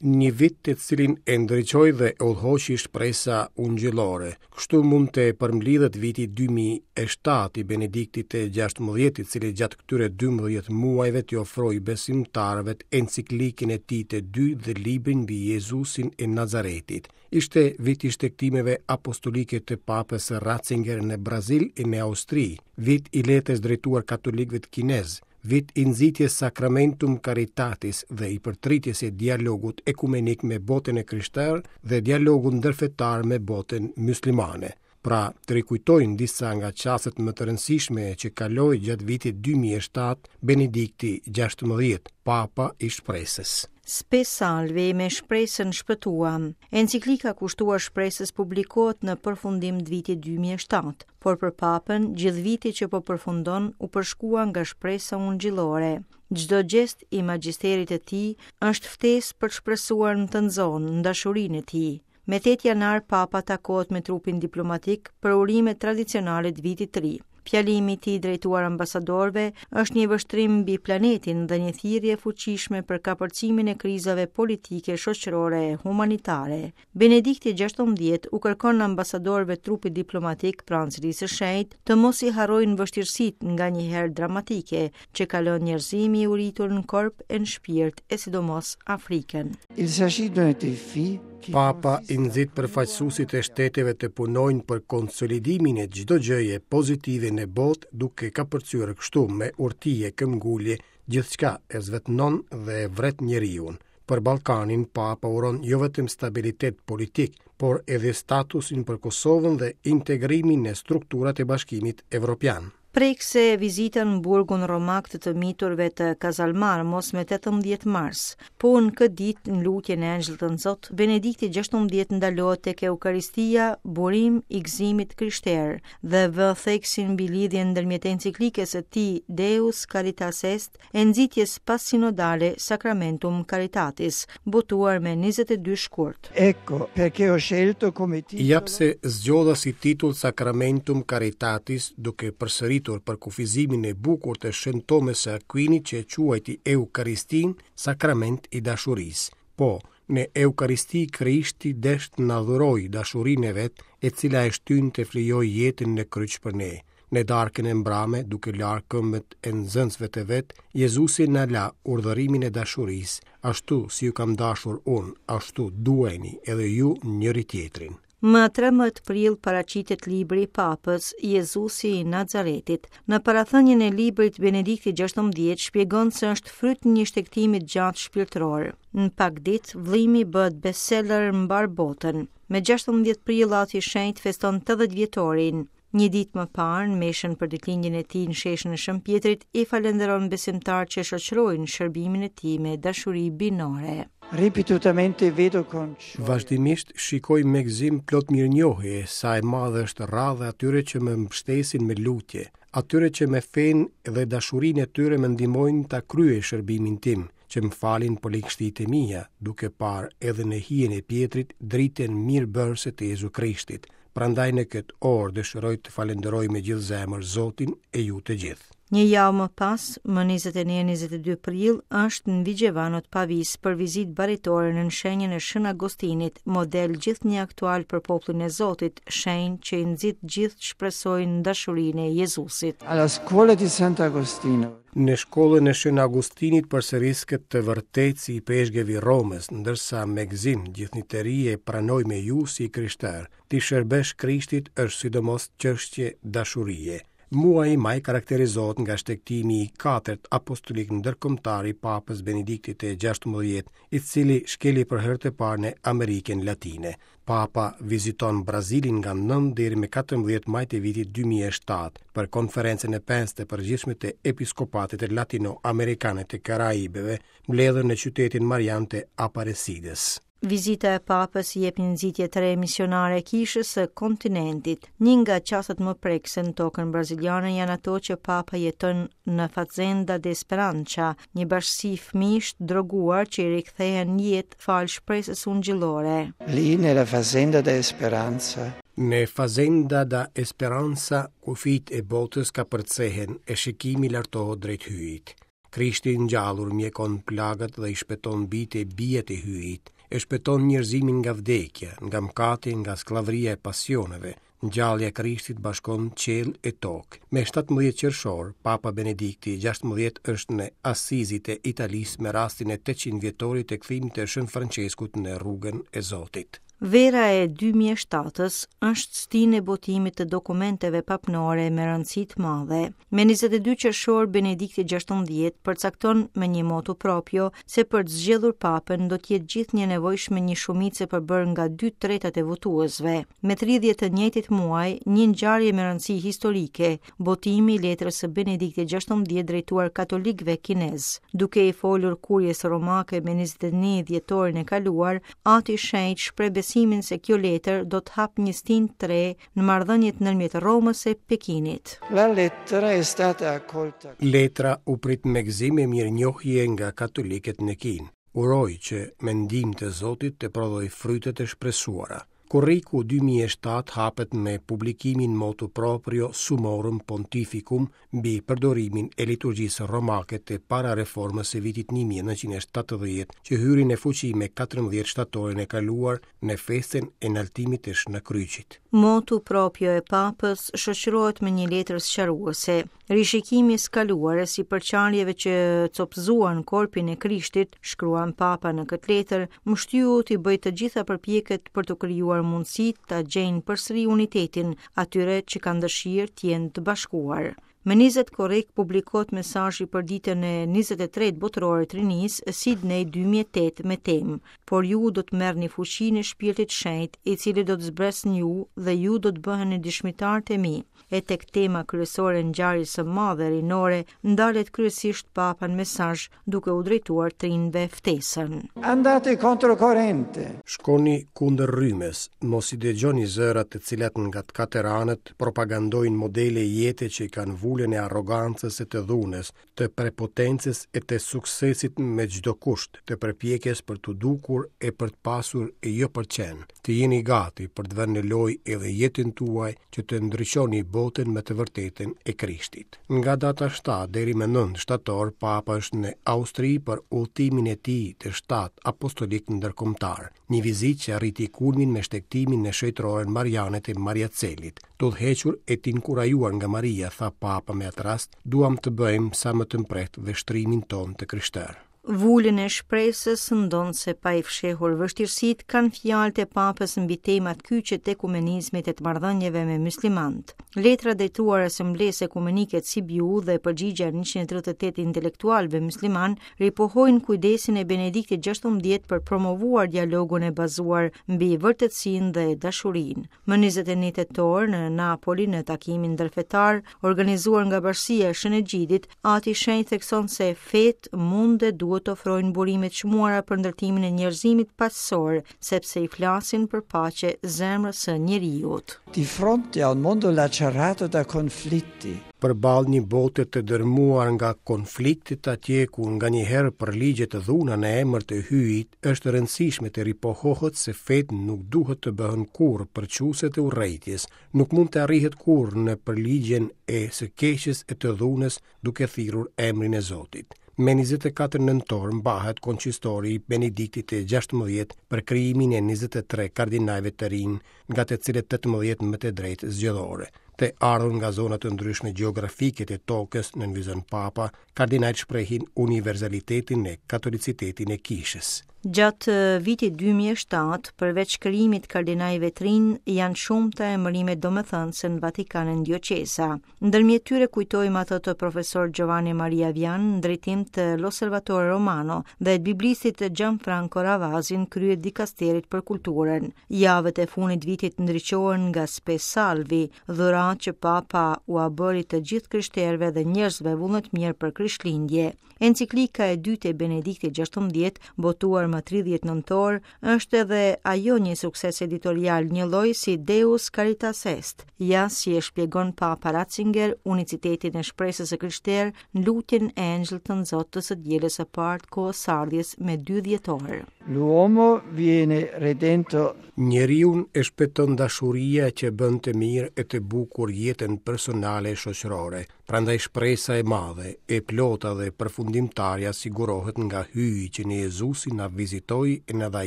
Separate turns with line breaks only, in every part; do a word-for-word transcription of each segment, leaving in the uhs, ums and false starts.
Një vit të cilin e ndriçoi dhe e udhëhoqi shpresa ungjillore. Kështu mund të përmblidhet viti dy mijë e shtatë i Benediktit të gjashtëmbëdhjetë, i cili gjatë këtyre dymbëdhjetë muajve t'i ofroi besimtarëve enciklikën e tij të dytë dhe librin mbi Jezusin e Nazaretit. Ishte vit i shtegtimeve apostolike të Papës Ratzinger në Brazil e në Austri, vit i letrës drejtuar katolikëve kinez, vit i nxitjes Sacramentum Caritatis dhe i përtritjes e dialogut ekumenik me botën e krishterë dhe dialogut ndërfetar me botën muslimane. Pra, të rikujtojnë disa nga çastet më të rëndësishme që kaloi gjatë vitit dy mijë e shtatë Benedikti gjashtëmbëdhjetë, Papa i Shpresës.
Spe Salvi me shpresën shpëtuam. Enciklika kushtuar shpresës publikohet në përfundim të vitit dy mijë e shtatë, por për Papën, gjithë viti që po përfundon u përshkua nga shpresa ungjillore. Çdo gjest i magjisterit të tij është ftesë për të shpresuar në të nxonë, në dashurinë e tij. Me tetë janar Papa takohet me trupin diplomatik për urimet tradicionale të vitit të ri. Fjalimi i tij drejtuar ambasadorëve është një vështrim mbi planetin dhe një thirrje e fuqishme për kapërcimin e krizave politike, shoqërore e humanitare. Benedikti gjashtëmbëdhjetë u kërkon ambasadorëve trupit diplomatik pranë Selisë së Shenjtë të mos i harrojnë vështirësitë nganjëherë dramatike që kalon njerëzimi i uritur në korp e në shpirt e sidomos Afrikën.
Il s'agit d'un défi
Papa i nxit përfaqësuesit e shteteve të punojnë për konsolidimin e çdo gjëje pozitive në botë, duke kapërcyer kështu me urti e këmbgulje gjithçka e zvetënon dhe e vret njeriun. Për Ballkanin, Papa uron jo vetëm stabilitet politik, por edhe statusin për Kosovën dhe integrimin në strukturat e Bashkimit Evropian.
Prekse vizitën në burgun romak të të miturve të Casalmarmos me tetëmbëdhjetë mars. Po në këtë ditë në lutjen e Engjëllit të Zot, Benedikti gjashtëmbëdhjetë ndalohet tek Eukaristia, burim i gëzimit krishter, dhe vë theksin mbi lidhjen ndërmjet enciklikës së tij Deus Caritas Est e nxitjes pasinodale Sacramentum Caritatis, botuar me njëzet e dy shkurt.
Ecco perché ho scelto come titolo
Ja pse zgjodha si titull Sacramentum Caritatis, duke përsëritur për kufizimin e bukur të Shën Tomës së Aquinit që e quajti Eukaristin sakrament i dashurisë. Po, në Eukaristi Krishti desht na dhuroi dashurinë e vet, e cila e shtyn të flijojë jetën në kryq për ne. Në darkën e mbrame, duke larë këmbët e nxënësve të vet, Jezusi na la urdhërimin e dashurisë, ashtu si ju kam dashur unë, ashtu duajeni edhe ju njëri tjetrin.
Më trembëdhjetë prill paraqitet libri i Papës Jezusi i Nazaretit. Në parathënien e librit Benedikti gjashtëmbëdhjetë shpjegon se është fryt një shtegtimi të gjatë shpirtëror. Në pak ditë, vëllimi bëhet bestseller në mbar botën. Me gjashtëmbëdhjetë prill Ati i Shenjtë feston tetëdhjetë vjetorin. Një ditë më parë, në meshën për ditëlindjen e tij në sheshin e Shën Pjetrit, i falënderon besimtarët që shoqërojnë shërbimin e tij me dashuri binore.
Ripetutamente vedo con gioia.
Vazhdimisht shikoj me gëzim plot mirënjohje sa e madhe është radha atyre që më mbështesin me lutje, atyre që me fenë dhe dashurinë e tyre më ndihmojnë ta kryej shërbimin tim, që më falin për ligështitë e mia, duke parë edhe në hijen e Pjetrit dritën mirëbërëse të Jezu Krishtit. Prandaj në këtë orë dëshiroj të falenderoj me gjithë zemër Zotin e ju të gjithë.
Një javë më pas, më njëzet e një, njëzet e dy prill, është në Vigevano të Pavis për vizitë baritore në shenjën e Shën Agostinit, model gjithnjë aktual për popullin e Zotit, shenjë që i nxit gjithë të shpresojnë në dashurinë e Jezusit.
Alla scuola di Sant'Agostino.
Në shkollën e Shën Agostinit përsëris këtë të vërtetë si i peshgevi Romës, ndërsa me gëzim gjithnjë të ri e pranoj me ju si krishter. Ti shërbesh Krishtit është sidomos çështje dashurie. Muaji maj karakterizohet nga shtegtimi i katërt apostolik ndërkombëtar i Papës Benediktit të gjashtëmbëdhjetë, i cili shkeli për herë të parë në Amerikën Latine. Papa viziton Brazilin nga nëntë deri më katërmbëdhjetë maj të vitit dy mijë e shtatë për konferencën e pestë të përgjithshme të Episkopatit Latino-Amerikane të Karaibeve, mbledhur në qytetin Marian të Aparecides.
Vizita e Papës i jep një nxitje të re misionare kishës së kontinentit. Një nga çastet më prekëse në tokën braziliane janë ato që Papa jeton në Fazenda de Esperança, një bashkësi fëmijësh droguar që i rikthehen në jetë falë shpresës ungjillore.
Lì nella Fazenda de Esperanza.
Në Fazenda da Esperanza, kufijt e botës kapërcehen e shikimi lartohet drejt hyjit. Krishti i ngjallur mjekon plagët dhe i shpëton bijtë e bijat e Hyjit, e shpëton njerëzimin nga vdekja, nga mëkati, nga skllavëria e pasioneve. Ngjallja e Krishtit bashkon qiell e tokë. Me shtatëmbëdhjetë qershor, Papa Benedikti i gjashtëmbëdhjetë është në Asizi të Italisë me rastin e tetëqind vjetorit të kthimit të Shën Françeskut në rrugën e Zotit.
Vera e dy mijë e shtatës është stinë e botimit të dokumenteve papnore me rëndësi të madhe. Me njëzet e dy qershor Benedikti gjashtëmbëdhjetë përcakton me një motu proprio se për të zgjedhur papën do të jetë gjithnjë e nevojshme një shumicë e përbërë nga dy tretat e votuesve. Me tridhjetë të njëjtit muaj, një ngjarje me rëndësi historike, botimi i letrës së Benediktit gjashtëmbëdhjetë drejtuar katolikëve kinez. Duke i folur kurjes romake me njëzet e një dhjetorin e kaluar, Ati i Shenjtë shpreh besimin se kjo letër do të hap një stinë të re në marrëdhëniet ndërmjet Romës e Pekinit.
La lettera è stata accolta.
Letra u prit me gëzim e mirënjohje nga katolikët në Kinë. Uroj që me ndihmë të Zotit të prodhojë frytet e shpresuara. Korriku dy mijë e shtatë hapet me publikimin motu proprio Summorum Pontificum mbi përdorimin e liturgjisë romake të para reformës së vitit një mijë e nëntëqind e shtatëdhjetë, që hyri në fuqi me katërmbëdhjetë shtatorin e kaluar në festën e naltimit të Shën Kryqit.
Motu proprio e Papës shoqërohet me një letër sqaruese. Rishikimi i skaluar si përçarjeve që copëzuan korpin e Krishtit, shkruan Papa në këtë letër, më shtyu t'i bëj të gjitha përpjekjet për të krijuar mundësitë ta gjejnë përsëri unitetin atyre që kanë dëshirë të jenë të bashkuar. Me njëzet korrik publikohet mesazhi për ditën e njëzet e tretë botërore të rinisë, Sydney dy mijë e tetë me temë, por ju do të merrni fuqinë e Shpirtit Shenjt, i cili do të zbresë në ju dhe ju do të bëheni dëshmitarët e mi. E tek tema kryesore e ngjarjes së madhe rinore ndalet kryesisht Papa në mesazh, duke u drejtuar të rinjve ftesën.
Andate controcorrente.
Shkoni kundër rrymës, mos i dëgjoni zërat të cilat nga të katër anët propagandojnë modele jete që i kanë vulën e arrogancës e të dhunës, të prepotencës e të suksesit me çdo kusht, të përpjekjes për t'u dukur e për të pasur e jo për qenë. Të jeni gati për të vënë në lojë edhe jetën tuaj që të ndryshoni botën me të vërtetën e Krishtit. Nga data shtatë deri më nëntë shtator, Papa është në Austri për udhëtimin e tij të shtatë apostolik ndërkombëtar, një vizitë që arriti kulmin me shtegtimin në shejtroren Mariane të Mariacelit. Të udhëhequr e të inkurajuar nga Maria, tha Papa me atë rast, duam të bëjmë sa më të mprehtë vështrimin tonë të krishterë.
Vulën e shpresës, ndonëse pa i fshehur vështirësitë, kanë fjalët e Papës mbi temat kyçe të ekumenizmit e të marrëdhënieve me muslimanët. Letra drejtuar Asamblesë Ekumenike të Sibiu dhe përgjigjja e njëqind e tridhjetë e tetë intelektualëve musliman ripohojnë kujdesin e Benediktit gjashtëmbëdhjetë për promovuar dialogun e bazuar mbi vërtetësinë dhe dashurinë. Më njëzet e një tetor në Napoli, në takimin ndërfetar organizuar nga Bashkësia e Shën Egjidit, Ati i Shenjtë thekson se fet mund dhe duhet të ofrojnë burime të çmuara për ndërtimin e njerëzimit paqësor, sepse i flasin për paqe zemrës së njeriut.
Di fronte a un mondo lacerato da conflitti.
Përballë një bote të dërmuar nga konfliktet atje ku nganjëherë përligjet të dhuna në emër të Hyjit, është e rëndësishme të ripohohet se fet nuk duhet të bëhen kurrë përçuese të urrejtjes, nuk mund të arrihet kurrë në përligjen e së keqes e të dhunës duke thirrur emrin e Zotit. Me njëzet e katër nëntor mbahet koncistori i Benediktit të gjashtëmbëdhjetë për krijimin e njëzet e tre kardinajve të rinj, nga të cilët tetëmbëdhjetë me të drejtë zgjedhore. Të ardhur nga zona të ndryshme gjeografike të tokës, nënvizon Papa, kardinajt shprehin universalitetin e katolicitetin e kishës.
Gjatë vitit dy mijë e shtatë, përveç krijimit kardinajve të rinj, janë shumë të emërime domethënëse në Vatikan e në dioqeza. Ndërmjet tyre kujtojmë atë të profesor Giovanni Maria Vian në drejtim të L'Osservatore Romano dhe të biblistit Gianfranco Ravasi në krye dikasterit për kulturën. Javët e fundit vitit ndriçohen nga Spe Salvi, dhuratë që Papa ua bëri të gjithë krishterëve dhe njerëzve vullnetmirë për Krishtlindje. Enciklika e dytë e Benediktit gjashtëmbëdhjetë, botuar më tridhjetë nëntor, është edhe ajo një sukses editorial njëlloj si Deus Caritas Est. Ja si e shpjegon Papa Ratzinger unicitetin e shpresës së krishterë në lutjen e Engjëllit të Nxotë të së dielës së parë të kohës së ardhjes me dy dhjetor.
L'uomo viene redento
Njeriun e shpëton dashuria që bën të mirë e të bukur jetën personale e shoqërore. Prandaj shpresa e madhe, e plota dhe përfundimtarja sigurohet nga Hyji që në Jezusin na vizitoi e na dha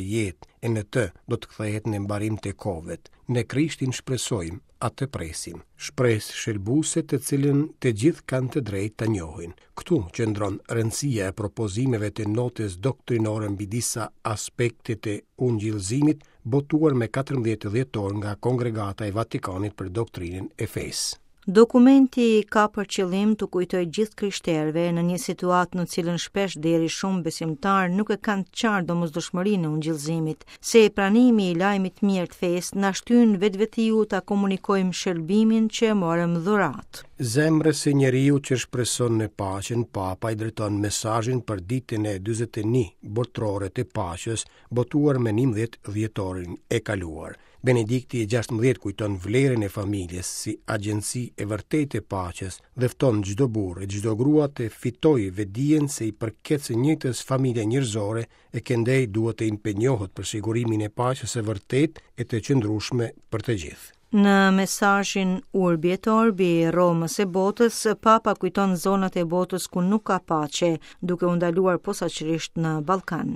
jetë, e në të do të kthehet në mbarim të kohëve. Në Krishtin shpresojmë, atë presim. Shpresë shëlbuese të cilën të gjithë kanë të drejtë ta njohin. Këtu qëndron rëndësia e propozimeve të notës doktrinore mbi disa aspekte të ungjillzimit, botuar me katërmbëdhjetë dhjetor nga Kongregata e Vatikanit për doktrinën e fesë.
Dokumenti ka për qëllim të kujtojë gjithë krishterëve në një situatë në cilën shpesh deri shumë besimtar nuk e kanë të qartë domosdoshmërinë e ungjillzimit, se pranimi i lajmit mirë të fesë na shtyn vetvetiu ta komunikojmë shëlbimin që e morëm dhuratë.
Zemrës së njeriu që shpreson në paqen, Papa i drejton mesazhin për ditën e dyzet e një botërore të paqes, botuar me njëmbëdhjetë dhjetorin e kaluar. Benedikti i gjashtëmbëdhjetë kujton vlerën e familjes si agjenci e vërtetë e paqes dhe fton çdo burrë e çdo grua të fitojë vetdijen se i përket së njëjtës familje njerëzore e këndej duhet të impenjohet për sigurimin e paqes së vërtetë e të qëndrueshme për të gjithë.
Në mesazhin Urbi et Orbi Romës e botës, Papa kujton zonat e botës ku nuk ka paqe, duke u ndaluar posaçërisht në Ballkan.